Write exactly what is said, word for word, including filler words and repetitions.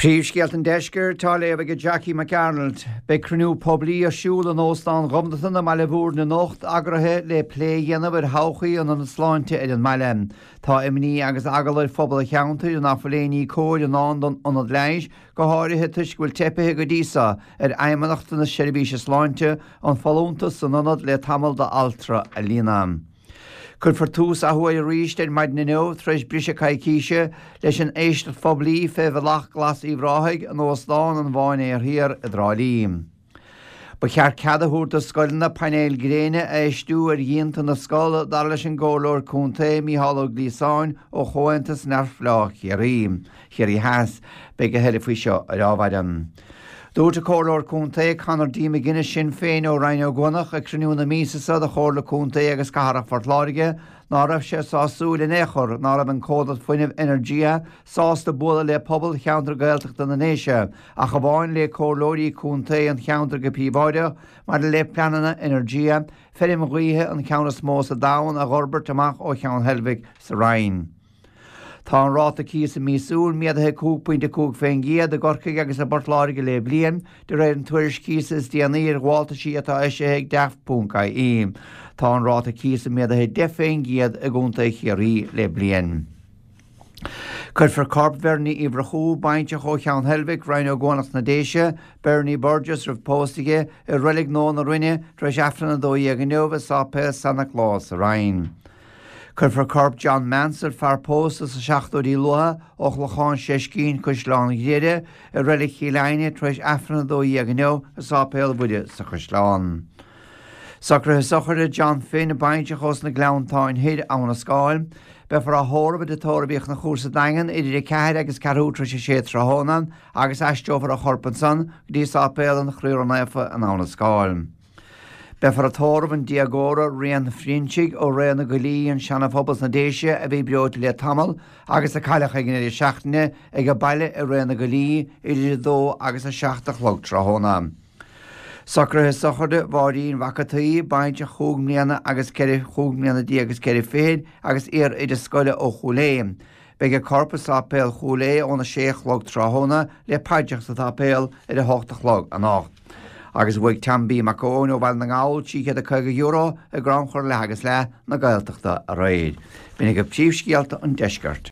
Príomhscéalta an Deiscirt á léamh ag Jackie McArnold. Beidh cruinniú poiblí ar siúl in Óstán Ghobnatan i mBaile Bhúirne anocht eagraithe le plé a dhéanamh ar thodhchaí an ionaid sláinte ar an mbaile. Tá imní agus eagla ar phobal an cheantair nach bhfuil aon ní cóir i ndán don ionad leighis, go háirithe toisc go bhfuil teipithe go dtí seo ar Fheidhmeannacht na Seirbhíse Sláinte an folúntas san ionad le tamall d'altra a líonadh. Cuirfear tús athuair arís ar maidin inniu tar éis briseadh coicíse leis an éisteacht phoiblí fé Bhealach Glas Uíbh Ráthaigh in Óstán an Mháinséir Thiar i dTrá Lí. Ba cheart cead a thabhairt do scoileanna painéil gréine a fheistiú ar dhíonta na scol dar leis an gComhairleoir Contae Mícheál Ó Gliasáin ó Chomhaontas Neamhspleách Chiarraí, Chiarraí Theas. Beidh a thuilleadh faoi seo ar ámharaí. Dúirt an Comhairleoir Contae Conor D. McGuinness Sinn Féin ó Rinn Ó gCuanach ag cruinniú na míosa seo de Chomhairle Contae agus Cathrach Phort Láirge ná raibh sé sásúil in aon chor ná raibh an comhlacht fuinnimh Energia sásta bualadh le pobal cheantar Gaeltachta na nDéise ach amháin le comhairleoirí contae an cheantair go príobháideach maidir le pleananna Energia feirm ghaoithe an ceann is mó sa domhan a fhorbairt amach ó Cheann Heilbhic sa Rinn. Tá an ráta cíosa míosúil méadaithe cúig pointe cúig faoin gcéad i gCorcaigh agus i bPort Láirge le bliain, de réir an tuairisc cíosa is déanaí ar ghabháltaisí atá eisithe ag Daft ponc IE. Tá an ráta cíosa méadaithe deich faoin gcéad i gContae Chiarraí le bliain. Cuirfear corp Bhernie Uí Mhurchú, baintreach ó Cheann Heilbhic, Rinn Ó gCuanach sna Déise, Bernie Burgess roimh pósta aige i Reilig Nua na Rinne tar éis Aifreann a dó dhéag inniu i Sáipéal San Nioclás sa Rinn. Cuirfear corp John Mansell, fear pósta sa seachtóidí luatha ó Chlochán Seiscín Caisleán Ghriaire i Reilig Chill Airne tar éis Aifreann a dó dhéag inniu i Sáipéal Mhuire sa Chaisleán. Socruithe sochraide John Finn, baintreach ós na Gleanntáin Thoir, Abhainn an Scáil. Beifear á thórramh i dTigh Tórraimh Uí Chonchúir sa Daingean idir a ceathair agus ceathrú tar éis a sé tráthnóna agus aistreofar a chorp ansan go dtí Sáipéal an Chroí Ró-Naofa in Abhainn an Scáil. Beifear ag tórramh an déagóra Rian Phroinnsigh ó Rae na gCoillí, an Seanaphobal sna Déise a bhí breoite le tamall agus a cailleadh ag an deireadh seachtaine ag a baile i Rae na gCoillí idir a dó agus a seacht a chlog tráthnóna. Socruithe sochraide Mháirín Mhac an tSaoi, baintreach chúig mbliana agus ceithre chúig mbliana déag agus ceithre fichid agus iar-oide scoile ó Chúil Aodha. Beidh a corp i Sáipéal Chúil Aodha óna sé a chlog tráthnóna le paidreacha sa tsáipéal ar a hocht a chlog anocht. Agus bhuaigh Tom B. Mac Eoin ó Bhaile na nGall trí chéad a caoga euro i gcrannchur leath agus leath na Gaeltachta aréir. B'in agaibh príomhscéalta an deiscirt.